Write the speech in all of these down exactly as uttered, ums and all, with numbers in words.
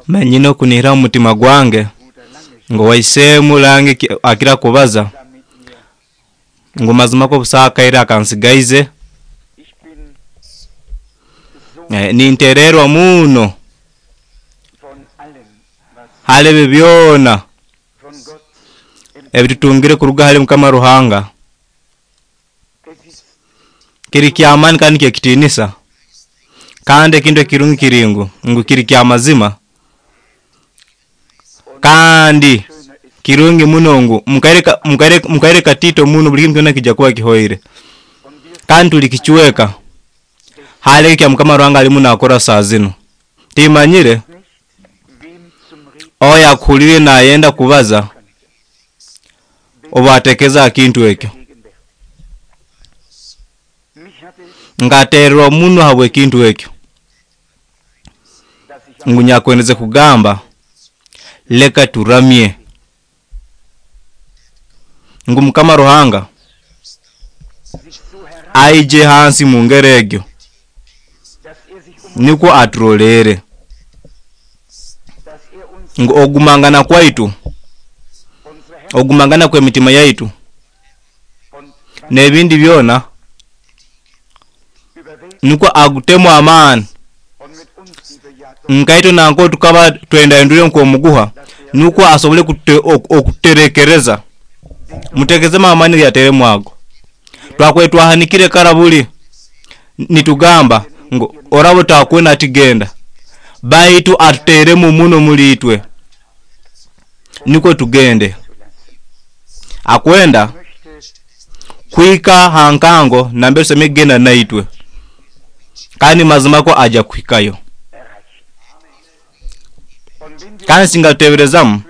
Manyine okunihira mumutima gwange ngu owaisemu langi akira kubaza ngu mazima ko busaho akaire akansigaize, nintererwa muno hali ebyo byoona ebitutungire kuruga hali mukama ruhanga. Kiri kyamaani kandi kyekitinisa kandi ekintu ekirungi kiri ngu, ngu kiri kyamazima kandi kirungi muno ngu mukaire mukaire katiito muno buli kimu kyona nikijja kuba kihoire kandi tuli kichweka hali ekyo mukama ruhanga alimu nakora saaha zinu. Timanyire oyo akuhulire nayenda kubaza obwatekereza hakintu ekyo. Nkatererwa muno habwekintu ekyo ngu nyakwendeze kugamba leka turamye ngu mukama ruhanga aije hansi mungeri egyo nukwo aturolere ngu okugumangana kwaitu, okugumangana kwemitima yaitu nebindi byona nukwo agutemu amaani nkaitwe nangwa tukaba twendahendwire nkomuguha nukwo asobole okuterekereza. Mutekerezemu amaani geyateremu ago. Twakubaire twahanikire kara buli nitugamba ngu oraba otakwenda hati genda, baitu atuteremu muno muli itwe nukwo tugende. Akwenda kuhika hankango nambere tusemeriire kugenda naitwe kandi mazima ko ajya kuhikayo. Kandi singa tuteberezamu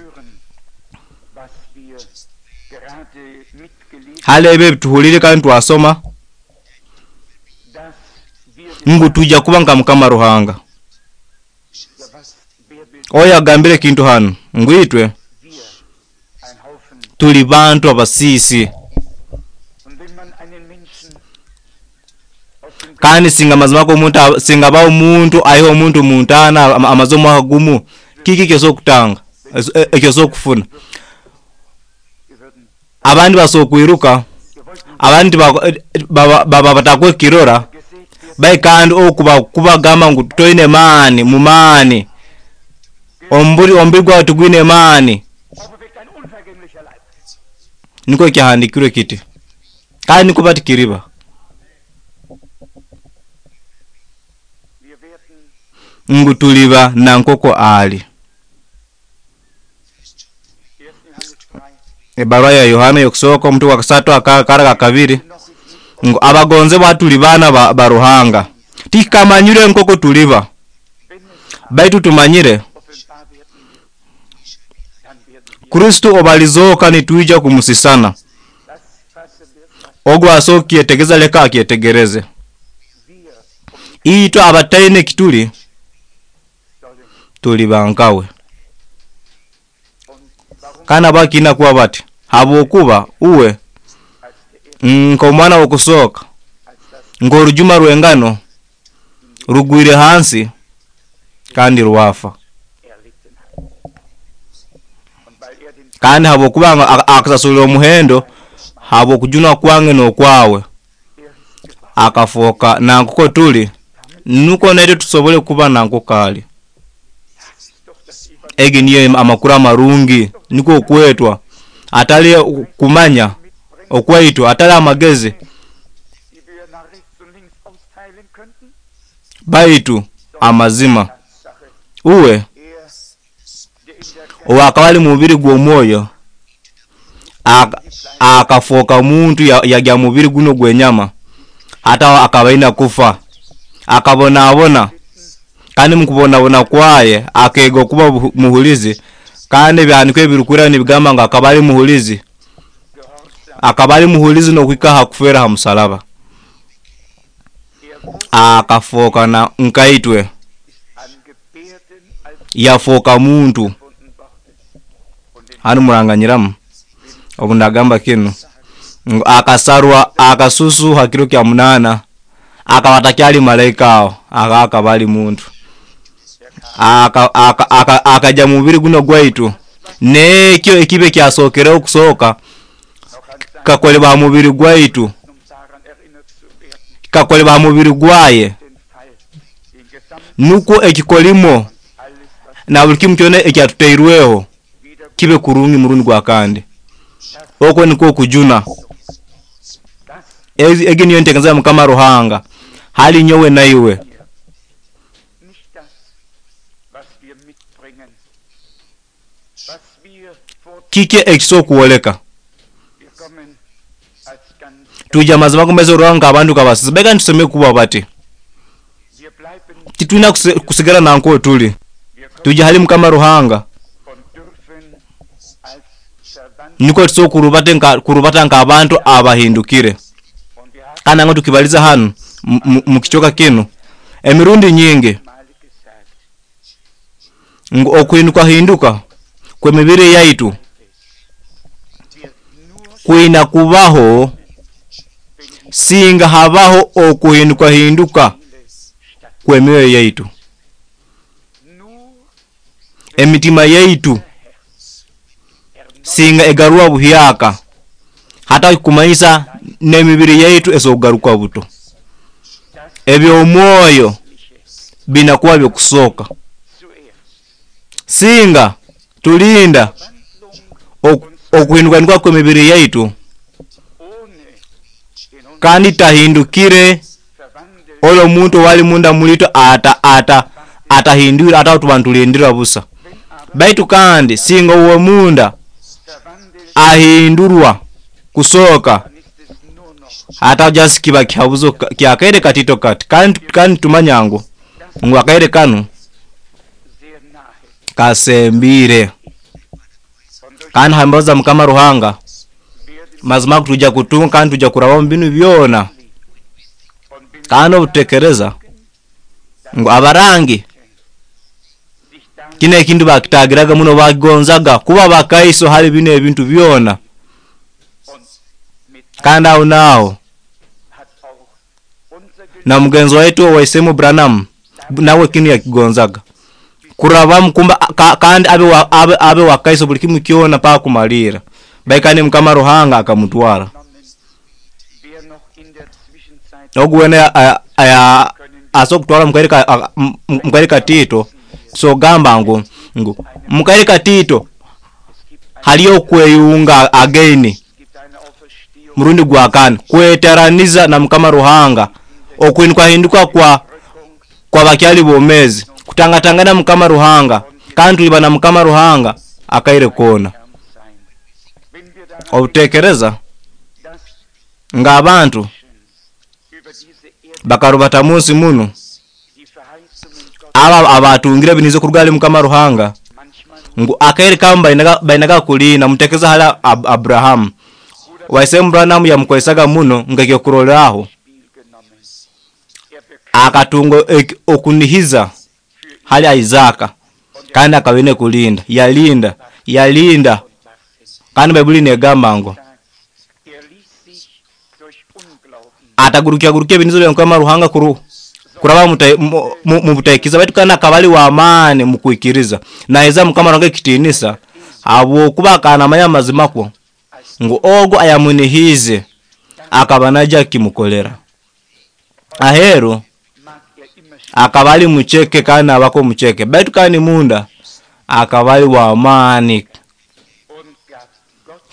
hali ebi ebituhulire kandi twasoma ngu tujja kuba nka mukama ruhanga. Oyo agambire ekintu hanu ngu itwe tuli bantu abasiisi. Kandi singa mazima ko omuntu singa ba omuntu aiha omuntu muntaana amaze omwaka gumu, kiki ekyosobora kutanga, ekyosobora kufuna? Abandi basobora kwiruka, abandi baba batakwekirora, baitu kandi oku kubagamba ngu toine maani, mumaani, omubiri gwawe tigwine maani, nikwo kyahandikirwe kiti kandi nikwo bati kiriba. Ngu tuliba nankoko ali. Ebarua ya Yohana yokusooka omutwe gwa kasatu akara ka kabiri ngu abagonzebwa tuli baana ba ruhanga, tikamanyire nkoko tuliba, baitu tumanyire Kristo obalizooka nitwija kumusisana. Ogu asobora kukyetegereza leka akyetegereze. Itwe abataine ekituli tuli bankawe. Kandi habwaki kuba bati? Habwokuba uwe nkomwana wokusooka nkorujuma rwengano rugwire hansi kandi rwafa. Kandi habwokuba akasasulira omuhendo habwokujunwa kwange nokwawe, akafooka nankuko tuli nukwo naitwe tusobole kuba nankuko ali. Egi niyo amakuru amarungi, nikwo okwetwa atali kumanya okwaitu, atali amagezi, baitu amazima. Uwe owakaba ali mubiri gw'omwoyo akafooka muntu yagya mubiri guno gwenyama, hata akaba aina kufa, akabonabona, kandi mukubonabona kwaye akeega okuba muhulizi, kandi ebyahandiko ebirukwera nibigamba ngu akaba ali muhulizi, akaba ali muhulizi nokuhika ha kufera ha musalaba. Akafooka na nkaitwe, yafooka muntu. Hanu muranganyiramu obu nagamba kinu ngu akasarwa akasusu ha kiro kya munaana, akaba atakyali malaika aho, akaba ali muntu. Akaja mubiri guno gwaitu nekyo ekibe kyasokereho kusoka kakolebwa mubiri gwaitu, kakolebwa mubiri gwaye, nukwo ekikolimo na buli kimu kyona ekyatuteirweho kibe kurungi murundi gwa kandi. Okwo nikwo kujuna. Egi niyo ntekereza ya Mukama Ruhanga hali nyowe naiwe. Kiki ekisobola kuwoleka tuija mazima gomeze Ruhanga abantu kabasiza bega ntuseme kuba bati titwina kusigara nanko tuli tuija hali Mukama Ruhanga niko tusobola kurubata nka kurubata nka abantu abahindukire. Kandi ngo tukibaliza hano mukichoka kino emirundi nyingi ngu okuhinduka hinduka kwemibiri yaitu kwina kubaho singa habaho okuhinduka hinduka kwemioyo yaitu, emitima yaitu singa egarwa buhyaka hata kumanyisa n'emibiri yaitu esogaruka buto. Eby'omwoyo binakuba byokusoka singa tulinda okuhinduka kwemibiri yaitu kandi tahindukire olo muntu wali munda mulito ata ata atahindura ata tubantulindira busa. Baitu kandi singa uwe munda ahindurwa kusoka hata just kiba kihabuzo kyakaire katito kati kandi kandi tumanyango ngu akaire kanu kasembire. Kandi hambaza Mukama Ruhanga mazima tuja kutunga kandi tuja kuraba mbinu byona. Kandi obutekereza ngu abarangi kine ekintu bakitagiraga muno bagonzaga kuba bakaiso hali bino ebintu byona. Kandi aho naho na mugenzi waitu waisemu Branham nawe kinu yakigonzaga kuraba mkumba ka, kandi abe wa, abe, abe wakaiso buli kimu kyona pa kumalira baikani Mukama Ruhanga akamutwara. Ogwene aya aso kutwara mukairika mukairika Tito so gamba ngu ngu mukairika Tito haliyo kweyunga again murundi gwa kane kweteraniza na Mukama Ruhanga okuhinduka hinduka kwa kwa bakyali bomezi kutangatangana Mukama Ruhanga kandi tuliba na Mukama Ruhanga akaire kona. Obutekereza nga abantu bakarubata munsi muno aba abatungire binizo kurugali Mukama Ruhanga ngu akaire kamba bainaga bainaga kulina mutekeza hala Ab Abraham waisemu Branham yamukolesaga muno ngekyo kuroleraho akatungo okunihiza hali Isaka kandi akabine kulinda yalinda yalinda. Kandi Baibuli negamba ngo atagurukia gurukia binizo bya Mukama Ruhanga kuru kuraba mu butaikiza baitu kana akabali wa amani mukuikiriza na eza Mukama Ruhanga kitinisa abo kuba kana manya mazima ko ngu ogo ayamunihize akaba naja kimukolera. Ahero akabali mucheke kana abako mucheke baitu kandi munda akabali wa amani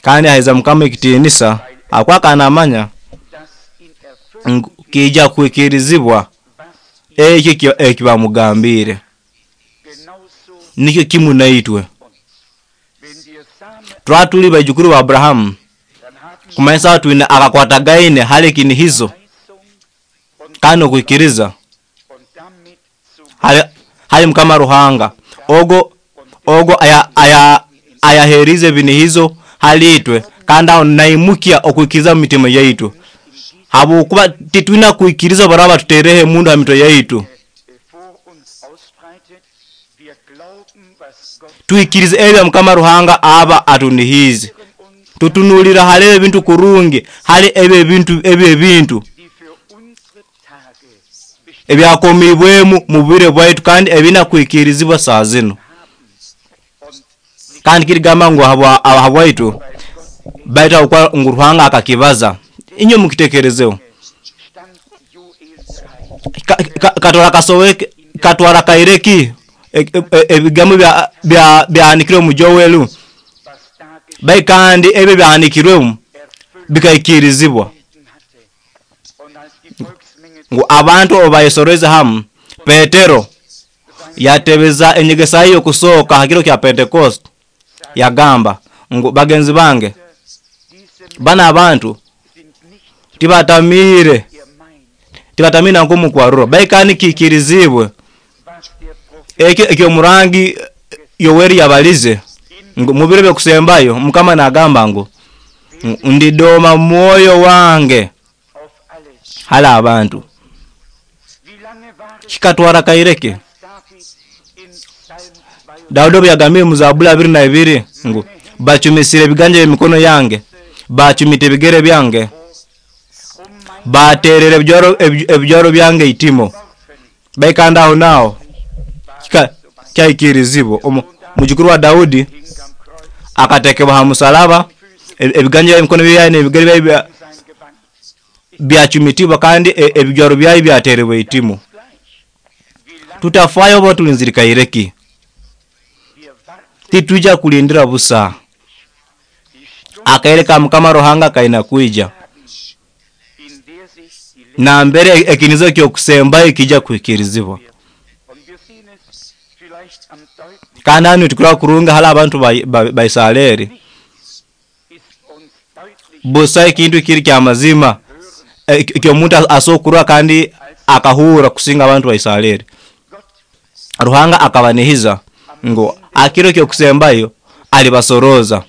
kandi aheza Mukama ekitinisa akwa kana manya kija kuikirizibwa ekyo ekibamugambire nikyo kimu naitwe twatuli bajukuru wa Abrahamu kumanyisa twina akakwatagaine hali kinihizo kandi okuikiriza hali, hali Mukama Ruhanga ogo ogo aya aya ayaherize binihizo halitwe kandi aho naimukia okuikiriza mu mitima yaitu habwokuba titwina kuikiriza baraba tuterehe mundu ha mitwe yaitu. Tuikirize ebya Mukama Ruhanga aba atunihize tutunulira hali ebintu kurungi hali ebyo ebintu ebyo ebintu Ebyakomibwemu mu bwire bwaitu kandi ebina kwikirizibwa saa zino. Kandi kirigamba ngu habwa habwaitu baitu habwokuba ngu Ruhanga akakibaza. Inywe mukitekerezeho. Katwara kasoboke katwara kaireki ebigambo bya bya byahanikirwe mu Joel. Bai kandi ebyo byahanikirwemu bikaikirizibwa. Ngu abantu obayesoroize hamu Petero yatebeza enyegesa ye yokusooka ha kiro kya Pentecost yagamba ngu bagenzi bange bana abantu tibatamiire tibatamiire nankomu kwarura bai kandi kiikirizibwe ekyo ekyomurangi Yoweri yabalize ngu mubiro byokusembayo Mukama nagamba ngu ndidoma mwoyo wange hali abantu. Kikatwara kaireke Daudi obu yagambire mu Zabuli abiri na ibiri ngu bacumisire ebiganja by'emikono yange, bacumita ebigere byange, baterera ebijwaro ebijwaro byange itimo. Baikanda aho naaho kyaikirizibwa. Omujukuru wa Daudi akatekebwa ha musalaba, ebiganja by'emikono byaye n'ebigere byaye byacumitibwa kandi ebijwaro byaye byaterebwa itimo. Tutafayo oba tulinzire kaireki. Titwija kulindira busa. Akaire ka Mukama Ruhanga kaina kwija. Na mbere ekinizo kyokusembayo kijja kuhikirizibwa. Kandi hanu nitukura kurunga hali abantu ba, ba Israeli. Busa ekintu kiri kya mazima ekyo omuntu asokurwa kandi akahura kusinga abantu ba Israeli. Ruhanga akabanihiza ngo akiro kyokusembayo alibasoroza.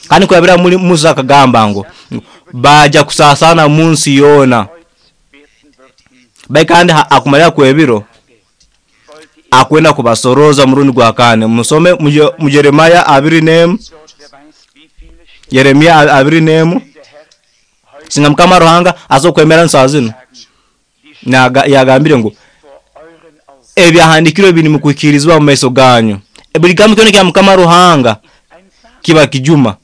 Kandi kurabira muri Musa akagamba ngo baja kusasana munsi yona. Bai kandi akumalira kwebiro akwenda kubasoroza murundi gwa kane. Musome mu Yeremia abiri nemu. Yeremia abiri nemu. Singa Mukama Ruhanga azokwemera nsaa zino. Na yagambire ngo ebyahandikirwe biri mukwikirizibwa mu maiso ganyu. Buli kigambo kyona kya Mukama Ruhanga kiba kijuma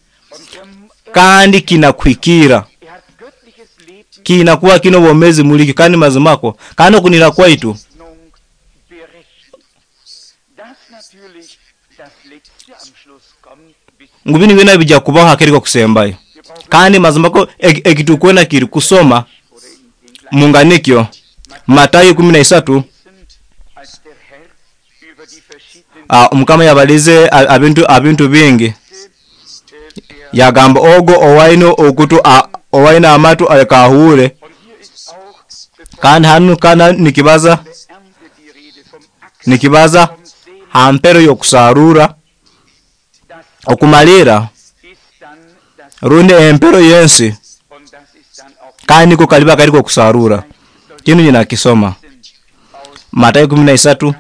kandi kinakwikira, kinakuwa kino bomezi muliki kandi mazimako kandi okunira kwaitu. Ngu binu byona bijja kubaho hakiriko kusembayo. Kandi mazimako ekitukwena kiri kusoma munganikyo Matayo kumi na isatu. Uh, Mukama yabalize abintu abintu bingi. Yagamba ogo owaino okutu owaina amatu alekahure. Kandi hanu kana nikibaza nikibaza hampero yokusarura okumalira rundi empero yensi kandi niko kaliba kariko kusarura. Kinu nyina kisoma Matayo kumi na isatu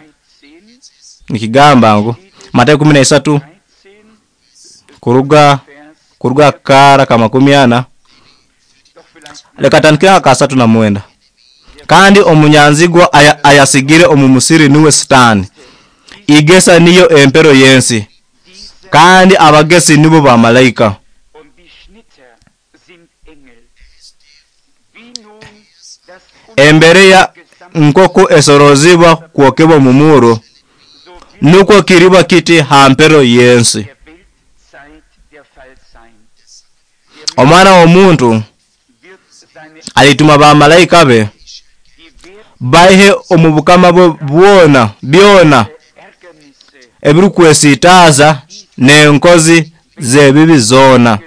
nikigamba ngu Matayo kumi na isatu kuruga kuruga kara kama kumi ana leka ka asatu na mwenda. Kandi omunyanzigwa aya, ayasigire omumusiri niwe Sitani. Igesa niyo empero yensi kandi abagesi nibo ba malaika. Embere ya nkoko esorozibwa kuokebwa mumuro nuko kiriba kiti hampero yensi. Omwana w'omuntu alituma ba malaika be baihe omubukama bwe bwona byona ebirukwesitaza n'enkozi z'ebibi zona.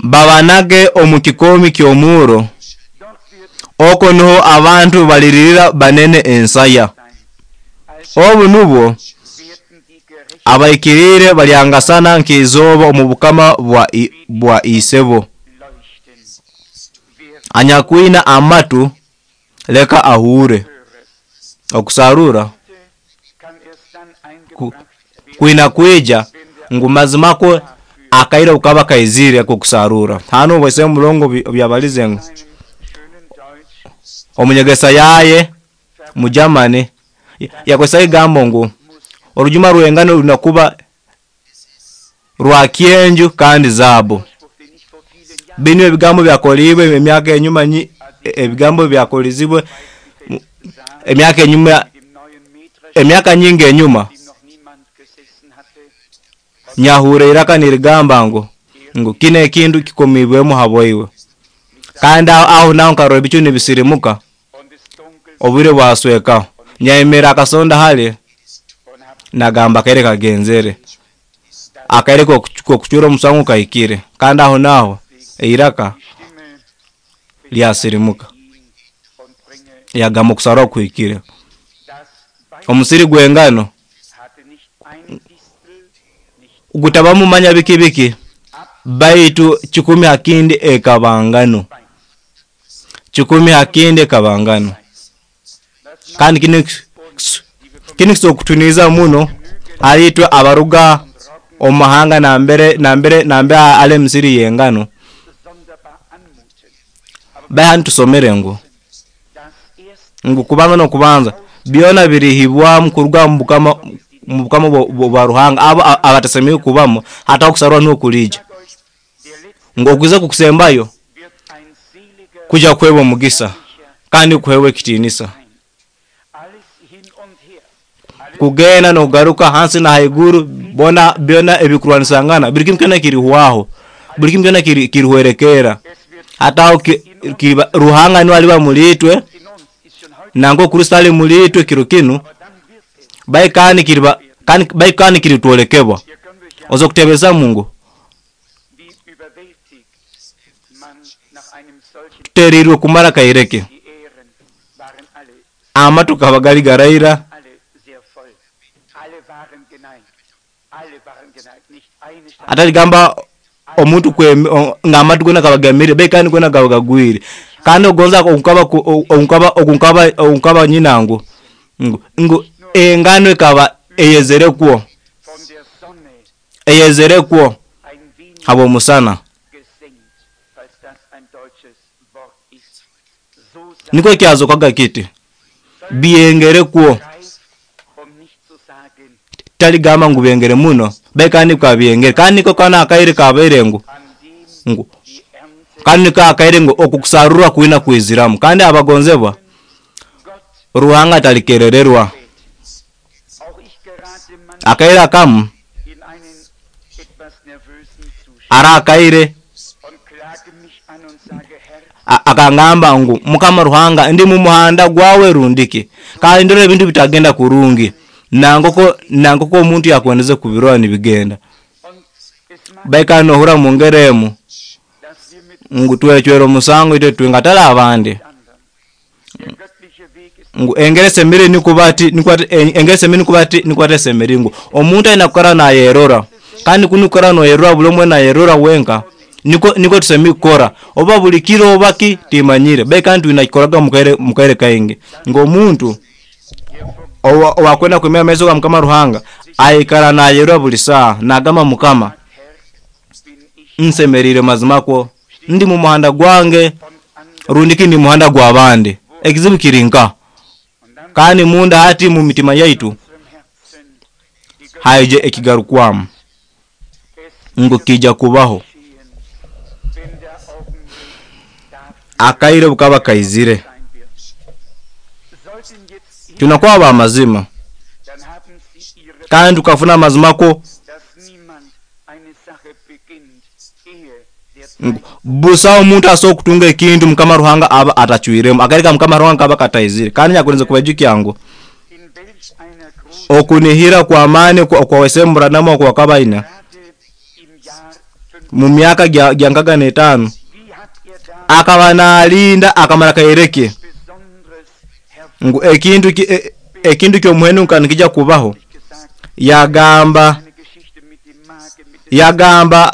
Babanage omu kikomi ky'omuro oko niho abantu baliririra banene ensaya. Obu nubwo abaikirire balyangasana nk'izoba omu bukama bwa, bwa isebo. Anyakwina amatu leka ahure. Okusarura ku, kwina kwija ngu mazimako akaira ukaba kaizire ako kusarura. Hano bwese mulongo byabalize ngu Omunyegesa yaye mu Germany yakozesa ekigambo ngu orujuma rw'engano rulina kuba rwa kyenju kandi zaabu. Binu ebigambo byakoliibwe emyaka enyuma, ebigambo byakolizibwe emyaka enyuma, emyaka nyingi enyuma. Nyahura iraka nirigamba ngu ngu kino ekintu kikomibwemu habwaiwe. Kandi aho naho nkarora ebicu nibisirimuka, obwire bwaswekaho. Nyayemera akasonda hali nagamba akaire kagenzere, akaire kokucura omusango kahikire. Kandi aho naho eiraka lyasirimuka, yagamba okusarwa kuhikire. Omusiri gw'engano gutabamu manya biki biki, baitu kikumi ha kindi ekaba ngano, kikumi ha kindi ekaba ngano. Kandi kinu kinu kisobora kutuniiza muno hali itwe abaruga omu mahanga nambere nambere nambere hali emisiri y'engano. Baitu hanu tusomere ngu ngu kubanza n'okubanza byona birihibwamu kuruga mu bukama mu bukama bwa Ruhanga abo abatasemeriire kubamu, hataho okusarwa nuho kuliija. Ngu okuza kukusembayo kuja kuheebwa omugisa kandi kuheebwa ekitiinisa. Kugenda n'okugaruka hansi na haiguru, bona byona ebikurwanisangana buli kimu kyona kirihwaho, buli kimu kyona kirihwerekerra. Hataho Ruhanga nuwe aliba muli itwe, nangwa Kristo ali muli itwe kiro kinu, baitu kandi kiriba baitu kandi kiritwolekebwa. Oza kutebezamu ngu tuteriirwe kumara kaire ki, amatu gakaba gali garaira, ataligamba omuntu nga amatu goona gakaba gemire, baitu kandi goona gakaba gagwire. Kandi ogonza ogunkaba ogunkaba ogunkaba nyina ngu ngu engano ekaba eyezere kwo, eyezere kwo habw'omusana. Nikwo kyazokaga kiti, byengere kwo, taligamba ngu byengere muno, baitu kandi bikaba byengere. Kandi niko kanu akaire kabaire ngu ngu kandi niko akaire ngu okukusarurwa kwina kwiziramu. Kandi abagonzebwa, Ruhanga atalikerererwa. Akaire akamu ara akaire akangamba ngu Mukama Ruhanga ndi mu muhanda gwawe rundiki, kandi ndora ebintu bitagenda kurungi nangoko nangoko omuntu yakwendeze kubirora nibigenda. Baitu nohura mu ngeri emu ngu twecwera omusango itwe twenka hatali abandi. Ngu engeri esemeriire nikuba ati engeri esemeriire nikuba ati nikuba tesemeriire ngu omuntu aina kwikara nayerora, kandi kunu kwikara noyerora buli omu nayerora wenka nikwo nikwo tusemeriire kukora, oba buli kiro oba ki timanyire, baitu kandi twina kukikoraga mu kaire kaingi ngu omuntu owakwenda kwemerra mumaiso ga Mukama Ruhanga aikara nayerora buli saaha nagamba Mukama nsemeriire mazima kwo, ndi mu muhanda gwange rundi ki ndi mu muhanda gw'abandi. Ekizibu kiri nkaha? Kandi munda hati mu mitima yaitu haije ekigarukwamu ngu kiija kubaho. Akaire bukaba kaizire, twina kuba b'amazima kandi tukafuna amazima kwo ngu busaho omuntu asobora kutunga ekintu Mukama Ruhanga aba atacwiremu. Akaire ka Mukama Ruhanga kaba kataizire. Kandi nyakulinze kubaijukya ngu okunihira kw'amaani okwa Wesemu Branham oku akaba aina mu myaka gya nkaga n'etaano, akaba nalinda akamara kaire ke ngu ekintu ekintu ky'omuhendo nka nikija kubaho. Yagamba yagamba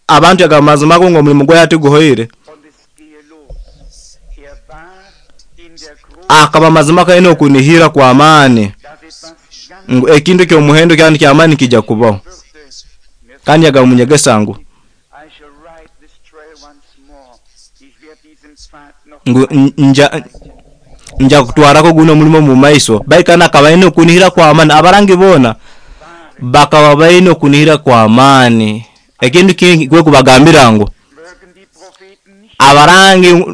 abantu yagamba mazima go ngu omulimu gwe hati guhoire. Akaba mazima kaine okunihira kw'amaani ngu ekintu ky'omuhendo kandi ky'amaani nikija kubaho. Kandi yagamba munyegesa ngu ngu nja Nja kutwarako guno omulimo mu maiso. Baikana akaba aine okunihira kw'amaani. Abarangi boona bakaba baine okunihira kw'amaani. Ekintu kingi kwe kubagambira ngu Mögen die Propheten nicht abarangi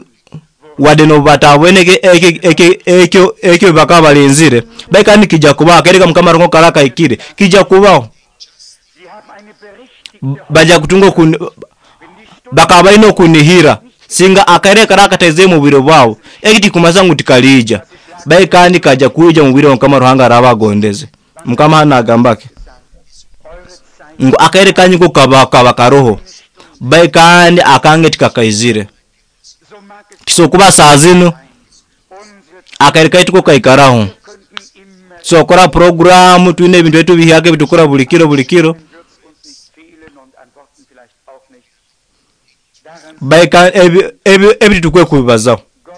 wadde nobu batabwene ekyo ekyo bakaba balinzire, baikani kijja kubaho. Akaire Mukama Ruhanga kara kahikire, kijja kubaho. Sie haben eine berechtigte Bajja kutunga okuni, Wenn die Stunde bakaba balina okunihira singa akaire kara kataize mu bwire bwabo. Eki tikumasa ngu tikaliija, baikandi kajja kwija mu bwire Mukama Ruhanga araba agondeze. Mukama hano agambake eure Zeit ngu akaire kanyu ko kaba kaba karoho, baikandi akange tikakaizire. so mag es Tisokuba saa zinu sein. Unsere akaire kaitu ko kaikaraho. könnten immer Sokora programu twine ebintu etu bihiyake bitukora buli kiro buli kiro. wird's uns nicht fehlen und an Worten vielleicht auch nicht. Daran Baika ebi ebi ebi tukwe kubibazaho. Gott,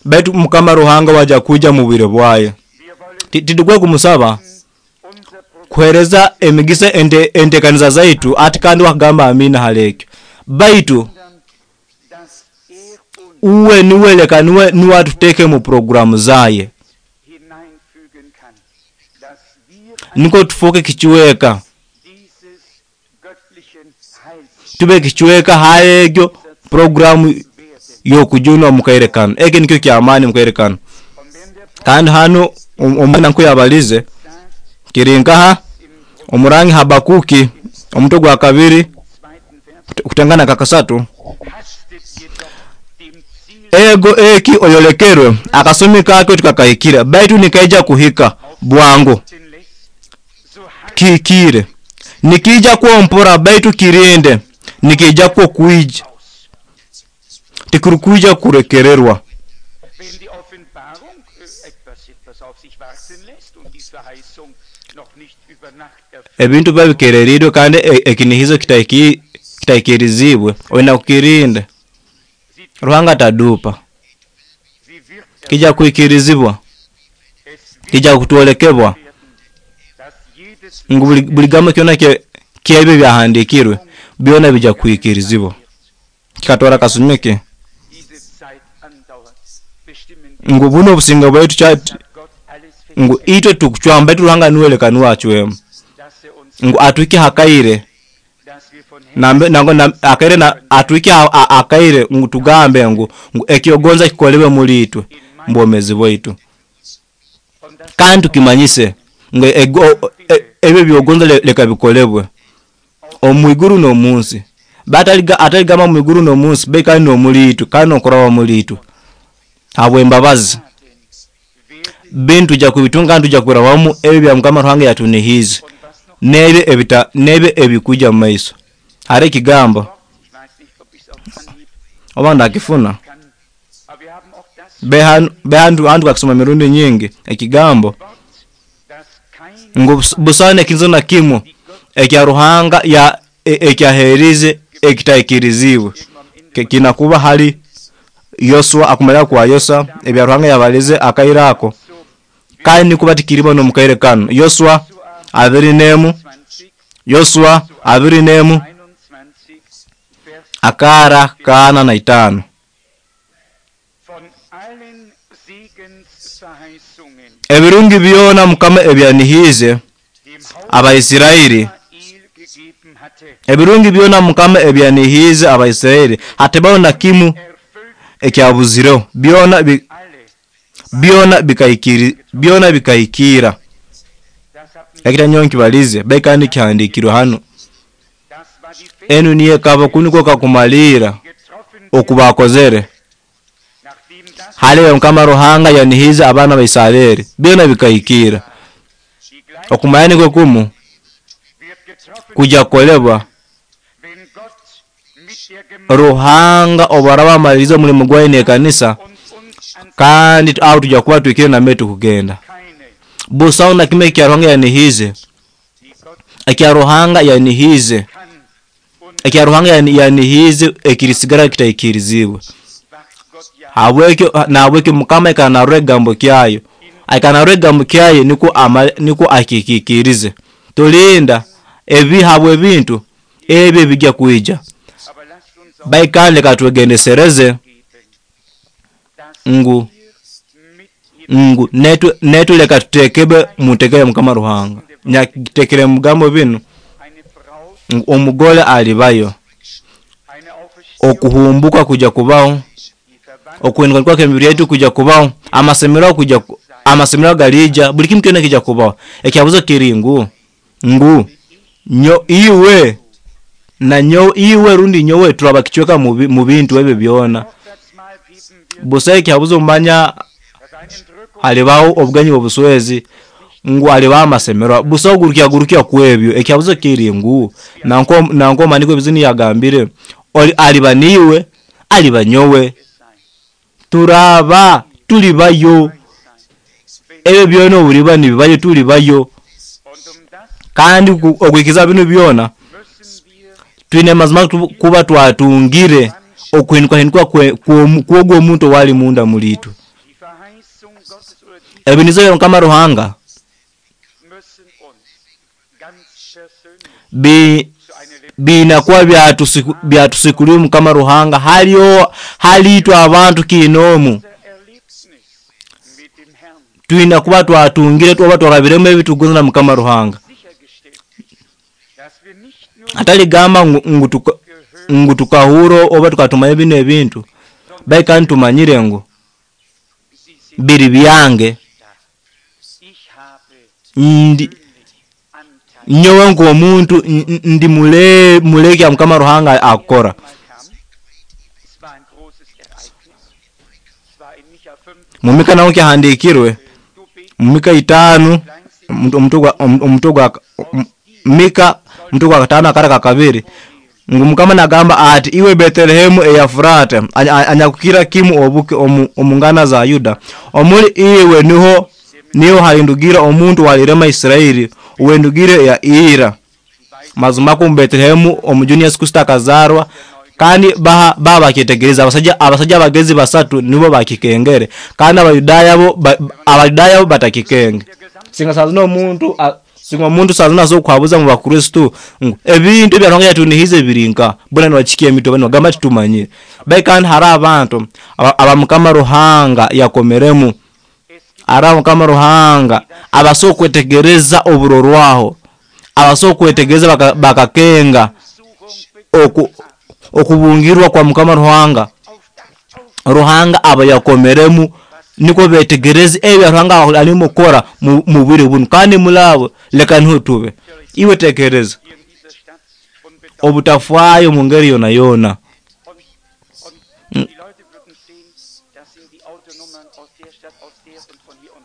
Baitu Mukama Ruhanga waja kuija mu bwire bwayo. wir wollen Ti- Titukwe kumusaba unser Programm kuhereza emigisa ente entekaniza zaitu ati kandi wakagamba amina halekyo. Baitu ändern, dass er uns uwe niwe leka niwe niwe atuteke mu programu zaye hineinfügen kann, dass wir niko tufuke kichiweka dieses göttlichen Heils tube kichiweka haegyo programu werden. yokujunwa mukaire kano. Eki nikyo kyamaani mukaire kano. Und wenn der Prophet Kandi hano om- omwana nkuyabalize sagt, kiri nkaha im omurangi Habakuki omutwe gwa kabiri zweiten Vers, kut- kutangana kakasatu, hastet jedoch dem Ziel ego eki oyolekerwe akasumi kakyo tikakahikira, baitu nikaija kuhika bwangu lässt, so harrt kihikire. Nikija kwompora baitu kirinde, nikija kwo kwija aus. tikurukwija kurekererwa. Wenn die Offenbarung äh, etwas, etwas auf sich warten lässt und die Verheißung noch nicht über Nacht erfüllt, Ebintu biba bikererirwe kandi e- ekinihizo kitaiki kitaikirizibwe, oina kukirinda. sie, Ruhanga atadupa, sie wird kija kuikirizibwa, es wird kija kutwolekebwa werden, dass jedes ngu buli, buli gambo kyona kye kyebyo byahandikirwe byona bija kuikirizibwa. Kikatwara kasumi ke diese Zeit andauert, bestimmen wir, ngu buno obusinga bwaitu kya hat Gott alles ngu festgelegt, itwe tukucwamba, baitu Ruhanga niwe niwe acwemu dass er uns, ngu atwike hakaire dass wir von nambe nango na, akaire na atwike ha- a- akaire ngu tugambe ngu ngu ekyogonza kikolewe muri itwe mbwomezi bwaitu, und das kandi tukimanyise ngu ego- e- ebyo byogonza le- leka bikolebwe omwiguru n'omunsi. Bataliga ataligamba mwiguru n'omunsi be kandi n'omuri itwe kandi n'okuraba muri itwe habw'embabazi werden bintu tujja kubitunga kandi tujja kurabamu ebyo bya Mukama Ruhanga yatunihiize und was noch n'ebyo ebita n'ebyo ebikuja mu maiso. Hariho ekigambo ich weiß nicht, ob ich es auf Anhieb oba ndakifuna kann, aber wir haben auch das be hantu hantu kakisoma mirundi nyingi ekigambo Wort, dass kein ngu bus- busaana ekintu na kimu die Gott ekya Ruhanga ya e- ekyaheerize ekitaikirizibwe irgendwo am Ende Ki- kinakuba hali Yoswa akumalira kwa Yosa ebya Ruhanga yabalize akaire ako so kandi nikuba tikiribo n'omukaire kano. Yoswa abiri n'emu, zwanzig, Yoswa abiri n'emu einundzwanzig, Vers akara kaana na itaano. von allen Segensverheißungen Ebirungi byona Mukama ebyanihiize dem Haus Abaisirairi, Israel gegeben hatte, ebirungi byona Mukama ebyanihiize Abaisirairi hatibaho na kimu erfüllt ekyabuzireho, byona bi, alle. byona bikaikiri byona bikahikira. Das haben Ekita nyowe nkibalize bai kandi kihandikirwe hano. das war die Enu niyo ekaba kuniko kakumalira getroffen okubakozere nachdem das haliwe Mukama Ruhanga yanihiize abaana ba Isirairi byona bikahikira. die gleiche Okumanya nikwo kumu wird getroffen, kuja kukolebwa wenn Gott mit der Gemeinde Ruhanga obu araba amalirize omulimu gwaye n'ekanisa und uns an kandi aho tujja kuba twikire nambe tukugenda. keine, Busaho na kimwe ekya Ruhanga yanihiize die Gott ekya Ruhanga yanihiize kann und ekya Ruhanga yani- yanihiize ekirisigara kitaikirizibwe. wacht Gott ja Habwekyo nahabwekyo Mukama aikanarora ekigambo kyayo, aikanarora ekigambo kyayo nikwo ama- nikwo akikikirize. Tulinda ebi habwe ebintu ebyo ebijja kwija, Aber lasst uns auch baikandi leka twegendesereze geben, dass ngu wir mit Ngu netwe netwe leka tutekebe mutekere Mukama Ruhanga nyakitekere mugambo binu ngu omugole alibayo, okuhumbuka kuja kubaho, okuhinduka kw'emibiri yetu kuja kubaho, amasemero kuja amasemero galija, buli kimu kyona kija kubaho. Ekyabuzo kiri ngu ngu nyo iwe na nyo iwe rundi nyowe turaba kichweka mu bintu ebyo byona. Busa ekyabuzo manya halibaho obugenyi obuswezi ngu alibaho amasemero busa ogurukya gurukya kwebyo. Ekyabuzo kiri ngu nanko nanko maniko ebizini yagambire oli aliba niwe aliba nyowe turaba tulibayo ebyo byona obuliba nibibayo tulibayo. Kandi okwikiza binu byona twine mazima kuba twatungire okuhinduka hinduka kwogwo omuntu wali munda mulitwe. Ebinizo bya Mukama Ruhanga bi binakuwa byatusikuriwe Mukama Ruhanga haliyo halitwe abantu kinomu twina kuba twatungire tuba twarabiremu ebitugonza na Mukama Ruhanga. Atali gamba ngu tuka ngu tukahuro oba tukatumanya bino ebintu baika ntumanyire ngu biri byange ndi nyowe nk'omuntu ndi mule muleke ya Mukama Ruhanga akora. Mumika nawo kyahandikirwe Mika itano omuto gwa Mika omuto gwa katano akara kakabiri ngu Mukama nagamba ati iwe Betelehemu eyafurata anyakukira kimu obuke omungana za Yuda omuli iwe niho niho halindugira omuntu walirema Israeli uwendugire ya ira. Mazima ku Betelehemu omujuni Yesu Kristo akazarwa kandi baha baba kitegereza abasajja abasajja abagezi basatu nibo bakikengere kandi abayudaya bo abayudaya bo batakikenge. Singa sazino omuntu singa omuntu sazino azo kwabuza mu bakristo ebintu ebya Ruhanga yatunihize birinka bona nibachikia emito bano gamba titumanyire bai kandi hari abantu aba Mukama Ruhanga yakomeremu ara Mukama Ruhanga abaso kwetegereza oburorwaho abaso kwetegereza bakakenga oku okubungirwa kwa Mukama Ruhanga Ruhanga aba yakomeremu niko betegereze ebya Ruhanga alimo kora mu bwire bunu kandi mulabo leka niho tube iwe tekereza obutafwayo mu ngeri yona yona.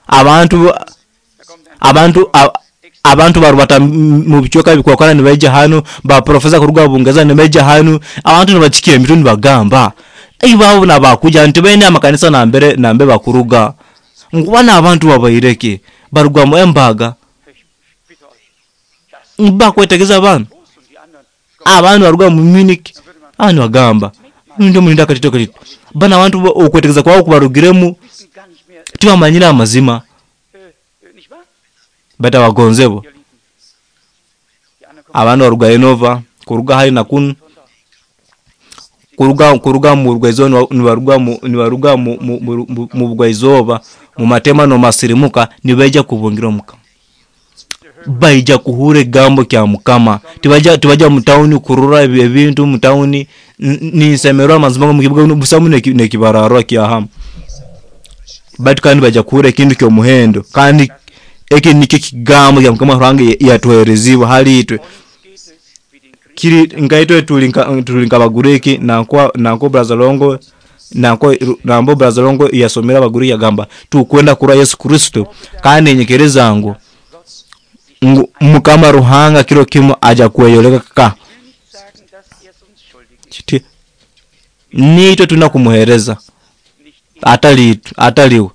Abantu abantu abantu barubata mu bichoka bikwakana nibaija hano ba professor kuruga Bungereza nibaija hano abantu nibachikia emito nibagamba ibabo nabakuja nti bene amakanisa nambere nambe bakuruga ngubana abantu babaireke barugwa mu embaga mbakwetegeza abantu abantu baruga mu Munich abantu bagamba ndo mulinda katito katito bana abantu okwetegeza kwao kubarugiremu tibamanyira amazima bata bagonzebo abantu baruga Enova kuruga hari na kun kuruga kuruga mu rugaizo nibaruga mu nibaruga mu mu bugaizoba mu matema no masirimuka nibaija kubungira Mukama baija kuhure gambo kya Mukama tibaja tibaja mu town kurura ebintu mu town ninsemerwa amazima mu kibuga busamu nekibararwa kya hamu batu kandi baja kuhure kintu kyo muhendo kandi eki nikyo kigambo kya Mukama Ruhanga yatuhereziwa hali itwe kiri ngaitwe tulinka tulinka bagureki nanko nanko Brazalongo nanko nambo Brazalongo yasomera baguri yagamba tukwenda kura Yesu Kristo kandi nyekereza ngu Mukama Ruhanga kiro kimu aja kweyoleka ka nitwe tuna kumuhereza atali ataliwe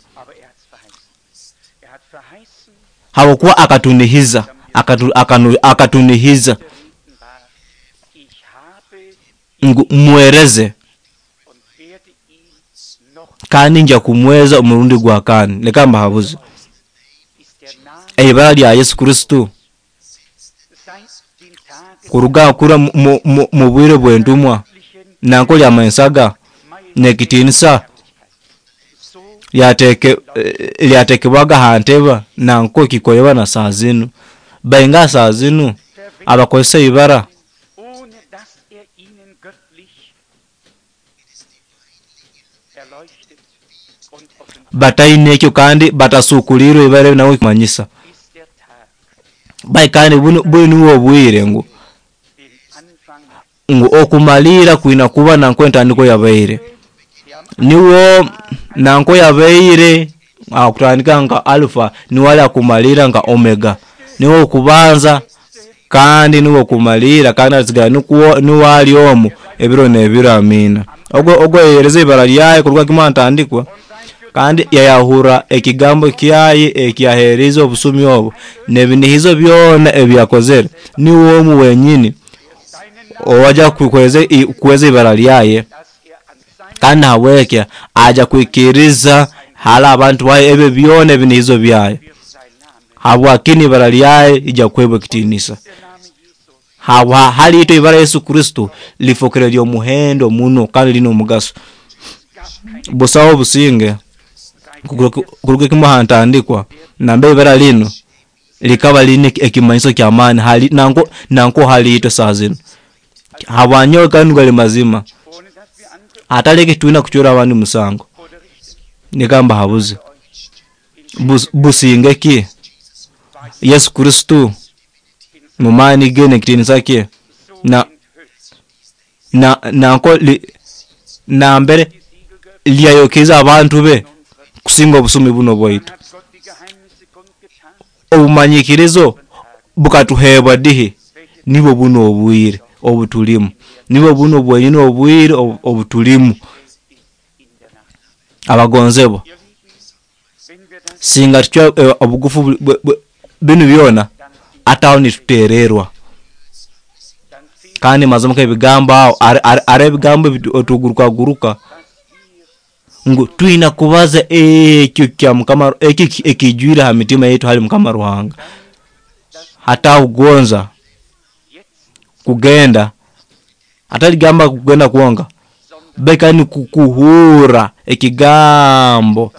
hawakuwa akatunihiza akatu, akanu, akatunihiza ngu muereze kandi nja kumweza omurundi gwa kani leka mbahabuze eibara lya Yesu Kristo kuruga kura mu bwire bw'entumwa nanko lya mensaga nekitinisa lyateke lyatekebwaga ha ntebe nanko kikolebwa na saa zinu. Bainga saa zinu abakozesa ibara ohne dass er ihnen göttlich erleuchtet und offenbart bataine ekyo kandi batasukulirwe ibara nawe kumanyisa. ist der Tag, Bai kandi bunu bunu niwo obwire ngu den Anfang, ngu okumalira kwina kuba nanko entandiko yabaire. der am Niwo nanko yabaire akutandika nka alpha niwali akumalira nka omega. Niwo okubanza kandi niwo okumalira kandi asigala nikuwo niwali omu ebiro n'ebiro. Amina. Ogwo ogwo yereza ibara lyaye kuruga kimwe ntandikwa kandi yayahura ekigambo kyaye ekyahereza obusumi obu n'ebinihizo byona ebyakozere. Niwo omu wenyini owaja kukweza kuweza ibara lyaye dass er an seinem kandi habwekya aja kwikiriza hala abantu baye ebyo byona ebinihizo byaye wird sein Name, habwakini ibara lyaye ija kuhebwa ekitiinisa. der Name Jesu, Habwa hali ito ibara Yesu Kristo lifokere lyomuhendo muno kandi lina omugaso. es gab kein Busaho obusinge kuruga kimwe hantandikwa nambe ibara lino likaba line ekimanyiso ky'amaani hali nanko nanko hali ito saa zino. Habwanyowe kandi gali mazima ohne dass wir andere ataleke twina kuchura abandi musango oder richten. nigamba habuze Bus, businge ki Yesu Kristo mumani ge n'ekitiinisa kye So na enthüllt na nanko li, nambere die Siegel geöffnet lyayokeza abantu be unserer kusinga obusumi buno bwaitu. Dann hat Gott die Geheimnisse kundgetan Obumanyikirizo bukatuhebwa dihi nibwo buno obwire obutulimu, nibwo buno bwenyini obwire obu- obutulimu. in der Nacht. Abagonzebwa Ihr Lieben, wenn wir das singa tutya eh, obugufu bu- bu- bu- binu byona dann ataho nitutererwa dann fehlt kandi mazima k'ebigambo aho ari- ari ari ebigambo otugurukaguruka was wir ngu twina kubaza ekyo kya Mukama ekyo ekijwire ha mitima yetu hali Mukama Ruhanga. Hataho kugonza jetzt kugenda ataligamba kugenda kuonga beka ni kukuhura ekigambo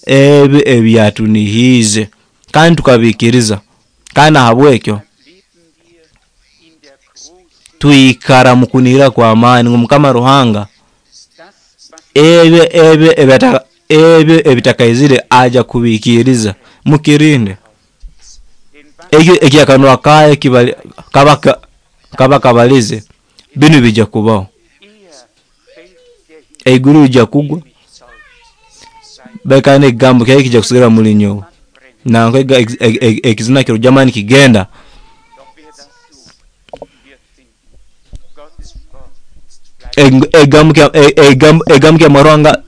ebyo ebyatunihize kandi tukabikiriza kandi ahabwekyo leben wir in der großen twikara mukunihira kwa amaani ngu Mukama Ruhanga das was ebyo ebyo ebyata ebyo ebitakaizire aja kubikiriza. Mukirinde den was ekyo ekyakanwa kaye kibali kaba kaba kabalize binu bija kubaho. er fällt der Himmel Eiguru lijja kugwa nicht täuscht. Sein bekane ekigambo kyaye kijja kusigala muli nyowe nanko ekizina kiro jamani kigenda. Doch wer das sucht, wird finden. Gottes Wort bleibt Eg- ekigambo kya e- ekigambo ekigambo kya Ruhanga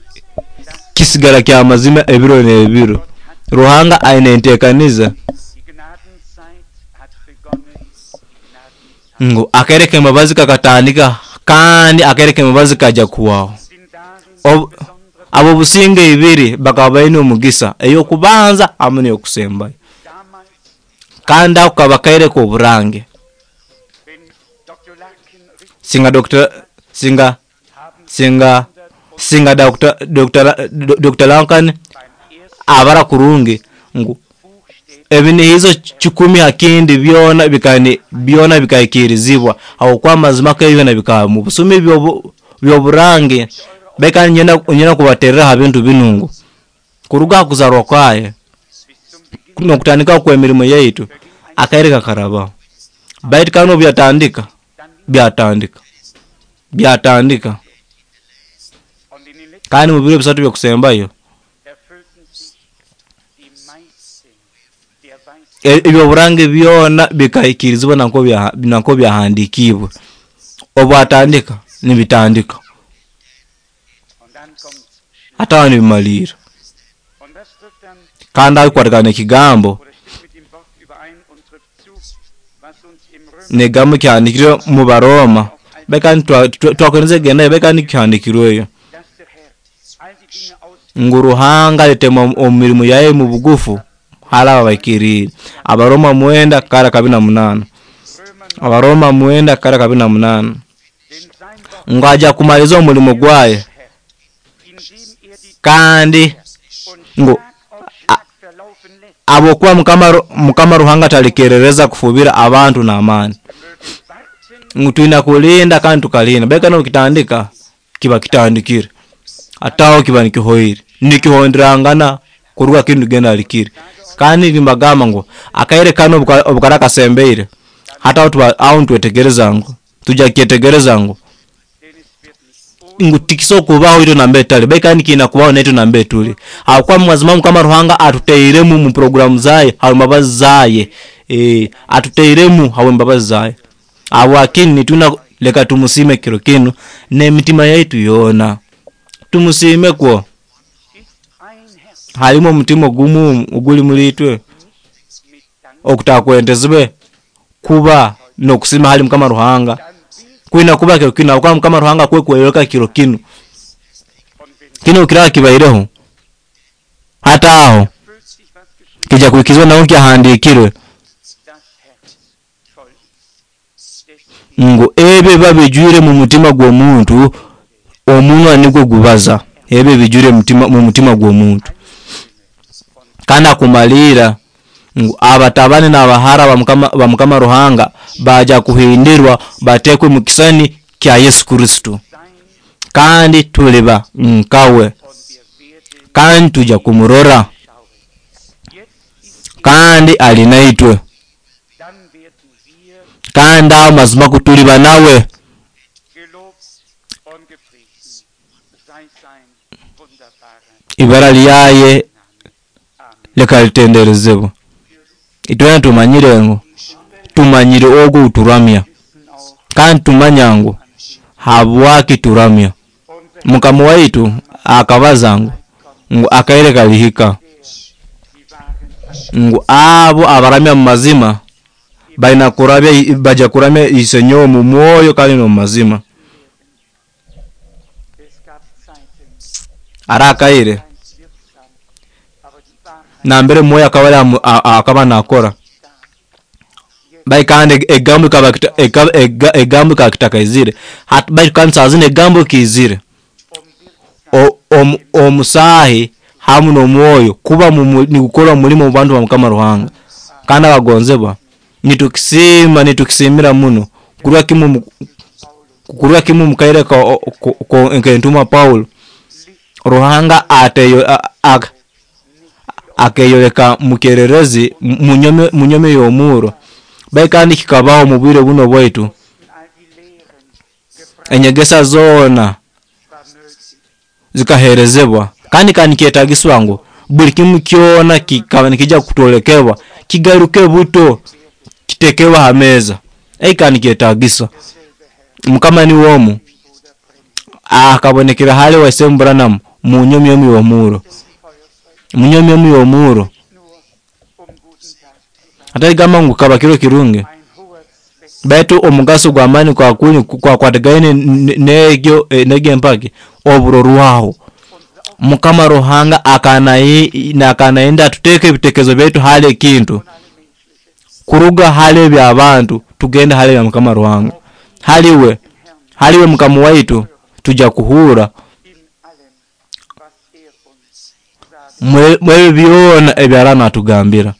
kisigala kya mazima ebiro n'ebiro. Ruhanga aine enteekaniza Die Gnadenzeit hat begonnen. Die Gnadenzeit ngu akereka embabazi kakatandika kandi akereka embabazi kajja kuwaho. sind darin Ob- besondere abo businge ibiri bakaba baine omugisa ey'okubanza hamu n'eyokusembayo damals, kandi ako kaba kaireka oburange. wenn Doktor Larkin richtig Singa Doctor singa haben singa singa Doctor Doctor Doctor Lankan beim ersten abara kurungi ngu buchstäblich ebinihizo kikumi hakindi byona bikani byona bikaikirizibwa aho kwa mazima k'ebyona bikaba mu busumi byobu- byoburange beka nyenda nyenda kubaterera ha bintu binungu kuruga ha kuzarwa kwaye bis zum Beginn nokutandika kw'emirimo yaitu akaire kakarabaho baitu kano byatandika dann byatandika byatandika und in den letzten kandi mu biro bisatu byokusembayo erfüllten sich die meisten der Weisheit e- ebyoburange byona bikaikirizibwa nanko bya nanko byahandikibwe obwatandika nibitandika und dann kommt Schluss. hatawa nibimalira Und das trifft dann kandi akukwatikana ekigambo oder stimmt mit dem Wort überein und trifft zu, was uns im Römer negambo kyahandikirwe mu Baroma beka twakwendeza gendayo beka nikihandikirweyo dass der Herr all die Dinge aus ngu Ruhanga alitema omu mirimo yaye mu bugufu hala abaikirire. Abaroma mwenda kara kabiri na munana Römer Abaroma mwenda kara kabiri na munana denn sein Wort ngu aja kumaliza omulimo gwaye Herr, indem er die kandi und Ngu abokuba mukama mukama Ruhanga talikerereza kufubira abantu n'amaani. Ngu twina kulinda kandi tukalinda. Baitu n'okitandika kiba kitandikire. Ataho kiba nikihoire. Nikihonderangana kuruga kintu genda alikire. Kandi nimbagamba ngu akaire kano obukara kasembeire. Hata aho ntwetegereza ngu tujja kyetegereza ngu ngu tikiso kubaho ito nambe tali baitu kandi kiina kubaho neto nambe tuli. Habwokuba mazima mukama Ruhanga atuteiremu mu programu zaye habwembabazi zaye. E, atuteiremu habwembabazi zaye. Habwakini nituna leka tumusime kiro kinu n'emitima yaitu yoona. Tumusime kwo. Halimu omutima ogumu oguli muri itwe okutakwentezibwe kuba n'okusima hali mukama Ruhanga. Kwina kuba kiro kinu habwokuba mukama Ruhanga kwekweyoleka kiro kinu. Kino kiraba kibaireho. Hata aho kija kuhikizwa naho kyahandikirwe ngu ebyo biba bijwire mu mutima gw'omuntu omunwa nigwo gubaza. Ebyo bijwire mu mutima gw'omuntu. Kandi akumalira ngu abatabani n'abahara ba mukama Ruhanga baja kuhindirwa batekwe mu kisani kya Yesu Kristo. Kandi tuliba nkawe. Kandi tuja kumurora. Kandi ali naitwe. Kandi aho mazima kutuliba nawe. Ibara lyaye leka litenderezebwe. Itwena tumanyire ngu tumanyire ogu uturamya. Kandi tumanya ngu habwaki turamya. Mukama waitu akabaza ngu ngu akaire kalihika ngu abo abaramya mu mazima baina kurabya baja kuramya isenyo mu mwoyo kandi no mazima. Arakaire nambere mwoyo akaba akaba nakora. Bai kandi egambo kaba egambo kakitakaizire. Hat bai kandi sazine egambo kizire. Omusahi hamu n'omwoyo kuba nikukora omulimo mu bantu ba mukama Ruhanga. Kandi abagonzebwa nitukisima nitukisimira muno kurwa kimu kurwa kimu mukaire ka nkentuma Paulo. Ruhanga ateyo akeyoleka mukererezi munyome munyome y'omuro. Bai kandi kikabaho mu bwire buno bwaitu. Enyegesa zoona zikaherezebwa. Kandi kandi kyetagiswa ngu buli kimu kyona kikaba nikija kutolekebwa kigaruke buto kitekewa ha meza. Ei kandi kyetagisa. Mukama ni womu akabonekera hali wa Sem Branham mu nyomi y'omuro. Mu nyomi y'omuro. Ataigamba ngu kaba kiro kirungi. Baitu omugaso gw'amaani kwa kuni kwa kwatagaine negyo negyo empaki oburorwaho. Mukama Ruhanga akanaenda tuteke ebitekezo byaitu hali ekintu. Kuruga hali eby'abantu tugende hali ya mukama Ruhanga. Haliwe haliwe mukama waitu tuja kuhura mwe byona ebyarana atugambira.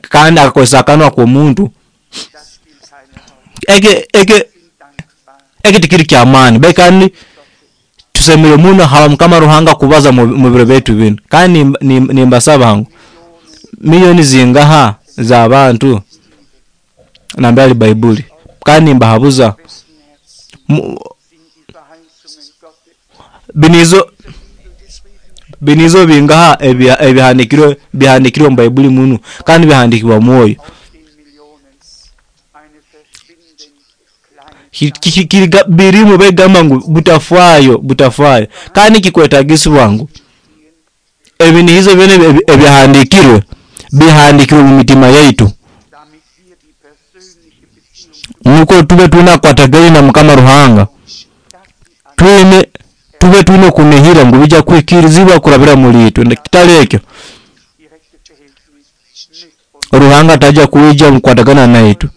Kandi akakozesa akanwa k'omuntu. Eke eke eke tikiri ky'amaani. Bai kandi tusemire muno hawa mukama Ruhanga kubaza mu biro byaitu binu. Kandi nimbasaba ngu milioni zingaha z'abantu nambere ali Baibuli. Kandi nimbahabuza binizo binizo bingaha ebihandikirwe bihandikirwe mu Baibuli muno kandi bihandikirwa mwoyo. Birimu begamba ngu butafaayo butafaayo. Kandi kikwetagisibwa ngu ebinihizo byona ebihandikirwe bihandikirwe mu mitima yaitu. Nuko tube tunakwatagaine na mukama Ruhanga. Twine tube twine kunihira ngu bija kwikirizibwa kurabira muri itwe. Kitali ekyo Ruhanga taja kuija mukwatagana naitu.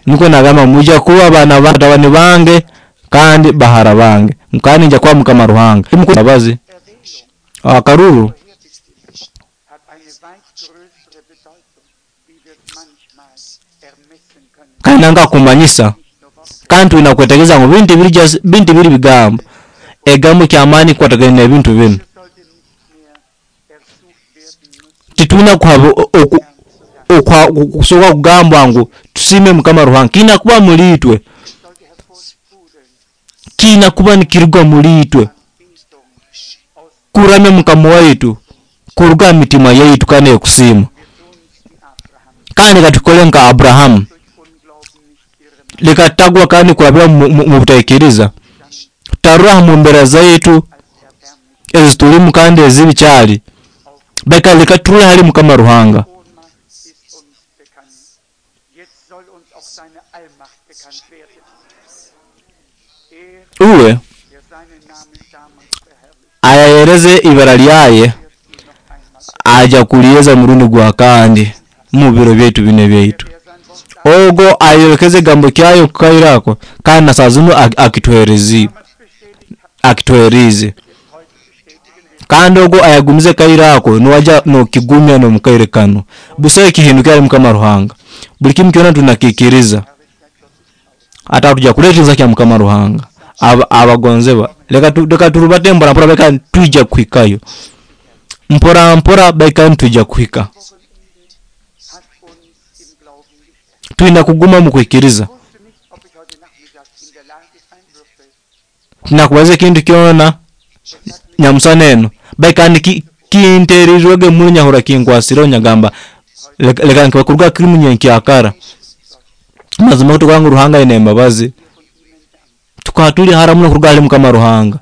Niko nagamba muja kuba abana batabani bange kandi bahara bange. Kandi nja kuba Mukama Ruhanga. Mbabazi akaruru hat eine weit größere Bedeutung, wie wir es manchmal ermessen können. Kandi nanga kumanyisa Nicht nur Worte, kandi tulina kwetegereza ngu bintu biri just bintu biri bigambo egambo kyamaani kukwatagana n'ebintu binu. es sollte nicht mehr ersucht werden müssen, Titulina kuhaba oku- okwa- kusobola kugambwa ngu tusiime Mukama Ruhanga kiina kuba muri itwe, es sollte hervorsprudeln, kiina kuba nikiruga muri itwe Anbetung aus kuramya Mukama waitu kuruga mu mitima yaitu kandi ekusiima. wir tun's wie Abraham, Kandi katukole nka Abrahamu, durch Unglauben nicht irre machen, leka tutagwa kandi kurabira mu- mu mu butaikiriza, tutarura mu mbera zaitu als erbärmlich ezi tulimu kandi ezibi kyali beka leka turule hali Mukama Ruhanga. Ohnmacht ist uns bekannt. Jetzt soll uns auch seine Allmacht bekannt werden. Er, Uwe der seinen Namen damals verherrlicht, ayayereze ibara lyaye wird ihn noch einmal. aja kuliyeza murundi gwa kandi mu biro byaitu bino byaitu. Der sein Wort Ogo ayolekeze egambo kyayo kukairako kandi na saa zinu ak- akituherezi damals bestätigt hat, akituherize es heute bestätigen wird. kandi ogo ayagumize kairako niwaja nokigumya nomukaire kano busayo ekihindukira ali Mukama Ruhanga. Buli kimu kyona tunakikiriza Herrlichkeit Gottes aus. ata tuja kuleeteza kya Mukama Ruhanga. Aba- abagonzebwa leka tu- leka turubate mpora mpora beka tuija kuhikayo mpora mpora beka tuija kuhika. Wochenende hat uns im Glauben gestärkt. Tulina kuguma mu kwikiriza. Ich wusste nicht, ob ich heute Nachmittag in der Lage sein würde, Tunakubaza ekintu kyona nyamusana eno baikandi ki- kinteerirwege muno nyahura kinkwasireho nyagamba leka leka nkibakuruga kirimu nyenkyakara. Mazima kutukuba ngu Ruhanga aine embabazi tukaba tuli hara muno kuruga hali Mukama Ruhanga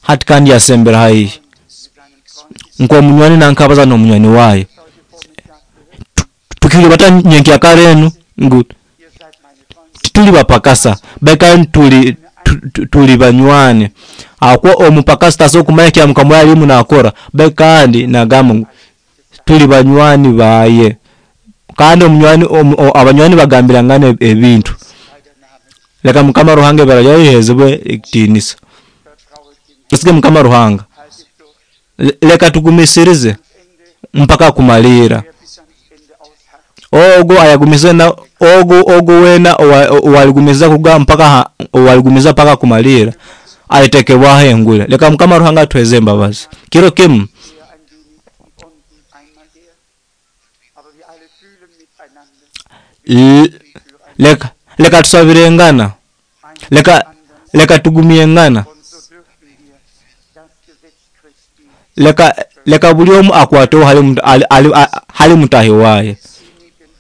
hati kandi yasembera haihi mit seinem Freund nk'omunywani nankabaza n'omunywani waayo heute Vormittag gehört. tukiri bata nyenkyakara enu ngu Ihr seid meine Freunde. tituli bapakasa baikandi tuli tu- tu- tuli banywani akuba omupakasi tasobola kumanya kya Mukama we alimu nakora baikandi nagamba ngu tuli banywani baye kandi omunywani omu- o- abanywani bagambirangana eb- ebintu. Sei der Name. Leka Mukama Ruhanga ibara lyaye lihezebwe ekitiinisa. Vertrauet dem Tusige Mukama Ruhanga. Haltet durch Le- leka tugumisirize ans Ende, mpaka kumalira. wer bis ans Ende ausharrt, Ogo ayagumize na ogo ogo wena owa- owaligumiza kuga mpaka ha- owaligumiza mpaka kumalira alitekebwaho engule. Leka Mukama Ruhanga atuheze embabazi kiro kimu. er ein wenig und einmal der. Aber wir alle fühlen miteinander, L- leka leka tusabirengana, ein leka anderen. leka tugumyengana, Und so dürfen wir das Gesetz Christi leka leka buli omu akwateho hali mut- ali- ali- a- hali mutahi waye. innigen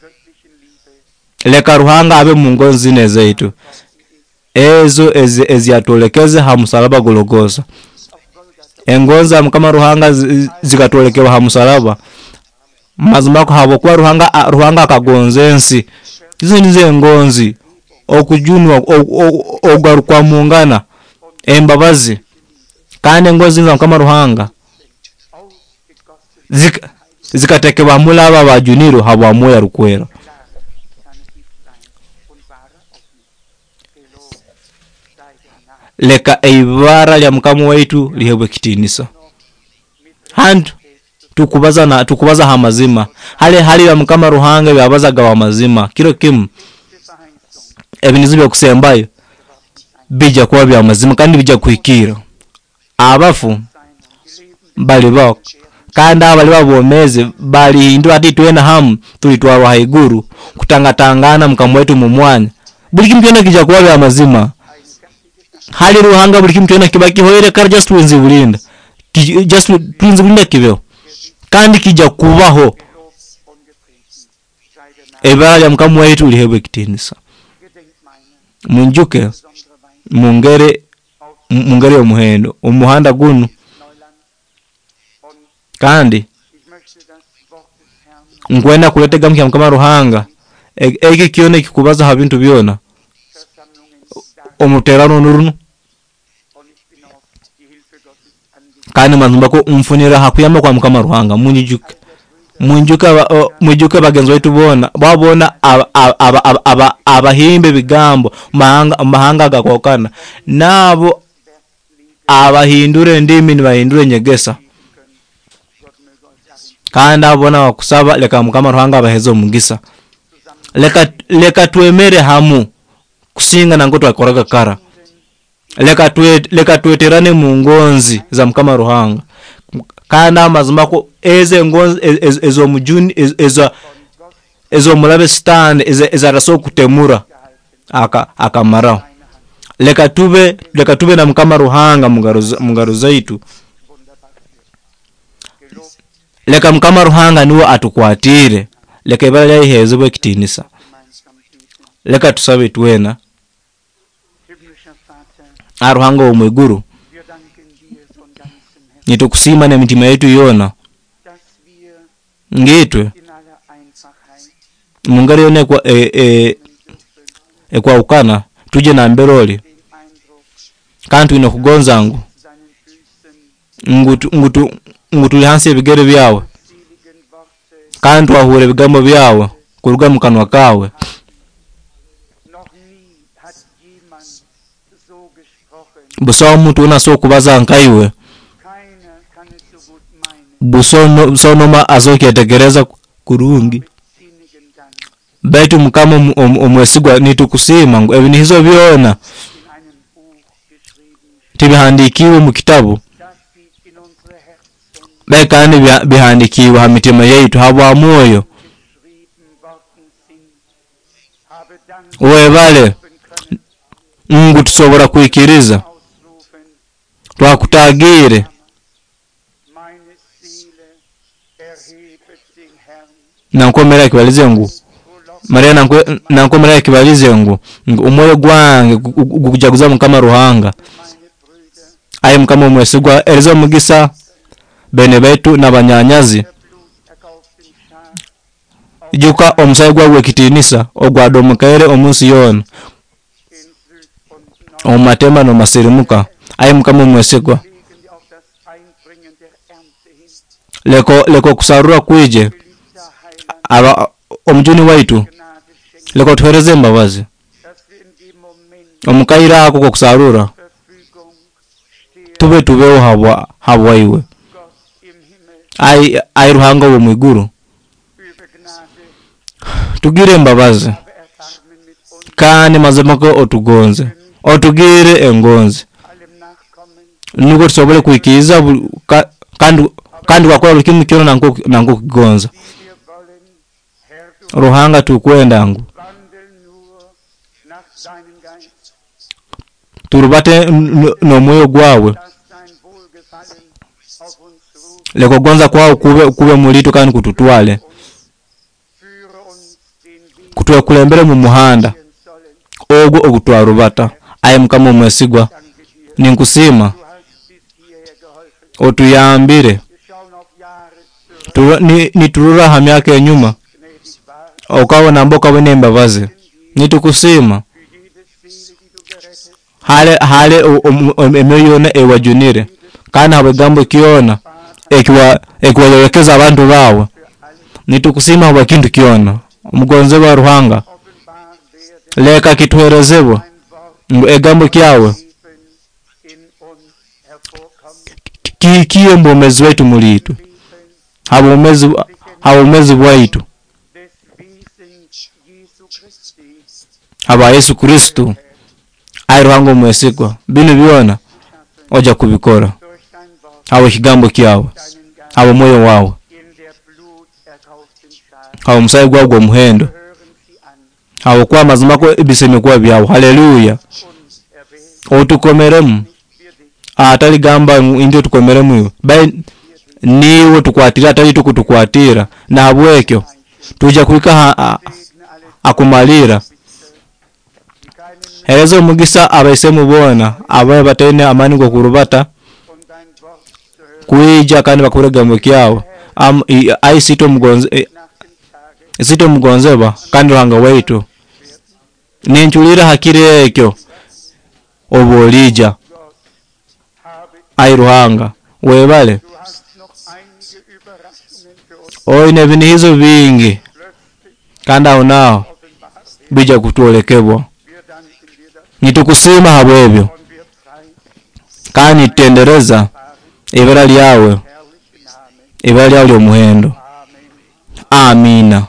göttlichen Liebe Leka Ruhanga abe mu ngonzi zine zaitu ezo ezi- eziyatwolekeze ha musalaba Gologosa. auf Golgatha Engonzi za Mukama Ruhanga zi- zikatwolekebwa ha musalaba. Mazima ko habwokuba Ruhanga a- Ruhanga akagonza ensi izo nizo engonzi okujunwa ogarukwa mungana embabazi kandi engonzi za Mukama Ruhanga ausgegossen zika- zikatekebwa muri aba bajunirwe habwa Mwoyo Arukwera. klar kann es nicht sein und wahrer auch nicht. Gelobt sei der Name Leka eibara lya Mukama waitu lihebwe ekitiinisa. Hantu tukubaza na tukubaza ha mazima hali hali ya Mukama Ruhanga byabazaga wa mazima kiro kimu letzte Verheißung ebinizo byokusembayo geworden sein. bija kuba bya mazima kandi bija kuhikira abafu Sein und die Lebenden balibaho kandi abo bali babomeze balihindura ati twena hamu tulitwarwa haiguru kutangatangana Mukama wetu mu mwanya. Buli kimu kyona kija kuba bya mazima eine fertige Sache. hali Ruhanga buli kimu kyona kiba kihoire kare just tulinzi bulinda Ki- just tulinzi bulinda kibeho kandi kija kubaho. Gelobt und gepriesen sei der Name. Ebara lya Mukama waitu lihebwe ekitiinisa. Gedenkt meiner Munjuke besondere Weise mu ngeri auf mu ngeri y'omuhendo omuhanda gunu Neuland. Und kandi ich möchte das Wort des Herrn nkwenda kuleta ekigambo kya Mukama Ruhanga E- eki kyona ekikubaza ha bintu byona Versammlungen dar omuterano nurunu und ich bin auf die Hilfe Gottes angewiesen. kandi mazima ko nfunira ha kuyamba kwa Mukama Ruhanga. Munyijuke munjuke aba- o- mwijuke bagenzi baitu boona babona aba- aba- aba- aba- abahimba ebigambo mahanga mahanga gakwakana nabo Werk leben Abahindura endimi nibahindura enyegesa. Kandi abo boona bakusaba leka Mukama Ruhanga abaheze omugisa. Leka leka twemere hamu kusinga nangwe twakoraga kara. Leka twe leka tweterane mu ngonzi za Mukama Ruhanga. Kandi amazima ko ezo engonzi ez'omujuni eza ez'omurabe Sitaani ezarasobora kutemura aka akamaraho. Leka tube leka tube na Mukama Ruhanga mungaro zaitu. Leka Mukama Ruhanga nuwe atukwatiire. Leka ibara lye liheezebwe ekitiinisa. Leka tusabe twena. Ruhanga ow'omwiguru, nitukusiima n'emitima yaitu yoona ngiitwe mungeri yoona ekwahukana tuje nambere oli, kandi twine kugonza ngu ngu ngu tuli hansi y'ebigere byawe, kandi twahurra ebigambo byawe kuruga mu kanwa kaawe. Busaho omuntu weena asobora kubaza nkaiwe, busaho n'omu asobora kukyetegereza kurungi. Baitu Mukama omwesigwa nitukusiima ngu ebinihizo byona tibihandiikiirwe omu kitabu, baitu kandi bihandikiirwe ha mitima yaitu habwa mwoyo. Webale ngu tusobora kwikiriza twakutagiire. Nankomera ekibalize ngu Maria nankomera ekibalize ngu omwoyo gwange gukujaguza Mukama Ruhanga. Ai Mukama omwesigwa, ereza omugisa bene baitu n'abanyanyazi. Ijuka omusaayi gwawe gw'ekitiinisa ogwadomokaire omunsi yoona, omu matemba n'omu masirimuka. Ai Mukama omwesigwa, leka leka okusarura kwije aba omujuni waitu, leka otuhereze embabazi omu kaire ako k'okusarura, tube tubeho habwa habwaiwe. Ai ai Ruhanga ow'omwiguru, tugire embabazi kandi mazima ko otugonze, otugire engonzi nukwo tusobole kwikiriza kandi kandi wakora buli kimu kyona nangwo kugonza. Ruhanga tukwenda ngu turubate n'omwoyo gwawe, leka okugonza kwawe kube kube muliitwe kandi kututwale, kutwekulembere mu muhanda ogwo ogutwarubata. Ai Mukama omwesigwa, ninkusiima otuyambire. Niturora ha myaka enyuma okaba namba okaba n'embabazi, nitukusiima hale hale emyoyo yoona ewajunire, kandi habw'ekigambo kyona ekiwa ekiwayolekeza abantu baawe. Nitukusiima habwa kintu kyona. Omugonzebwa Ruhanga, leka kituherezebwe ngu ekigambo kyawe kihikiye omu bwomeezi bwaitu muliitwe, habwomezi bwaitu, habwa Yesu Kristo. Ai Ruhanga omwesigwa, binu byona ojja kubikora habw'ekigambo kyawe, habw'omwoyo wawe, habw'omusaayi gwawe gw'omuhendo, habwokuba amazima ko ebisembo kuba byawe. Haleluya. Otukomeremu, atali gamba ngu indyo tukomeremu iwe, bai niiwe tukwatira atali tukutukwatira. Nahabwekyo tuija kuhika akumalira. Hereza omugisa abaisemu boona ababe bataine amaani g'okurubata kwija kandi bakuhurra ekigambo kyawe. Ai siitwe omugonze siitwe omugonzebwa kandi Ruhanga waitu, ninculira ha kiro ekyo obu oliija. Ai Ruhanga webale, oine ebinihizo bingi kandi aho naaho bija kutwolekebwa. Nitukusiima habw'ebyo Kandi nitutendereza ibara lyawe, Herrlichen Namen. ibara lyawe ly'omuhendo. Amen. Amiina.